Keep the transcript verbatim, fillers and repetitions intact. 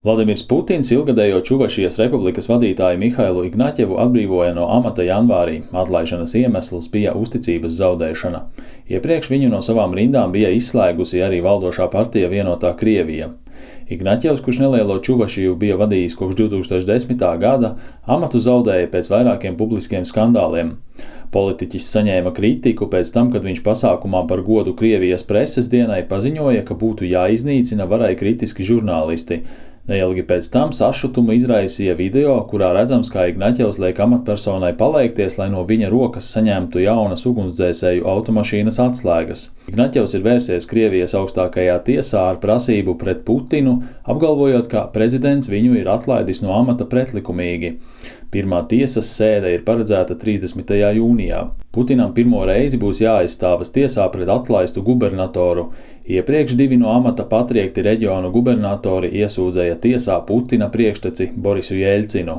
Vladimirs Putins ilgadējo Čuvašijas republikas vadītāju Mihailu Ignaķevu atbrīvoja no amata janvārī. Atlaišanas iemesls bija uzticības zaudēšana. Iepriekš viņu no savām rindām bija izslēgusi arī valdošā partija Vienotā Krievija. Ignaķevs, kurš nelielo Čuvašiju bija vadījis kopš divi tūkstoši desmitā gada, amatu zaudēja pēc vairākiem publiskiem skandāliem. Politiķis saņēma kritiku pēc tam, kad viņš pasākumā par godu Krievijas preses dienai paziņoja, ka būtu jāiznīcina varai kritiski žurnālisti. Neilgi pēc tam sašutumu izraisīja video, kurā redzams, kā Ignaķevs liek amatpersonai paleikties, lai no viņa rokas saņemtu jaunas ugunsdzēsēju automašīnas atslēgas. Ignaķevs ir vērsies Krievijas augstākajā tiesā ar prasību pret Putinu, apgalvojot, ka prezidents viņu ir atlaidis no amata pretlikumīgi. Pirmā tiesas sēde ir paredzēta trīsdesmitajā jūnijā. Putinam pirmo reizi būs jāaizstāvas tiesā pret atlaistu gubernatoru. Iepriekš divi no amata patriekti reģionu gubernatori iesūdzēja tiesā Putina priekšteci Borisu Jeļcinu.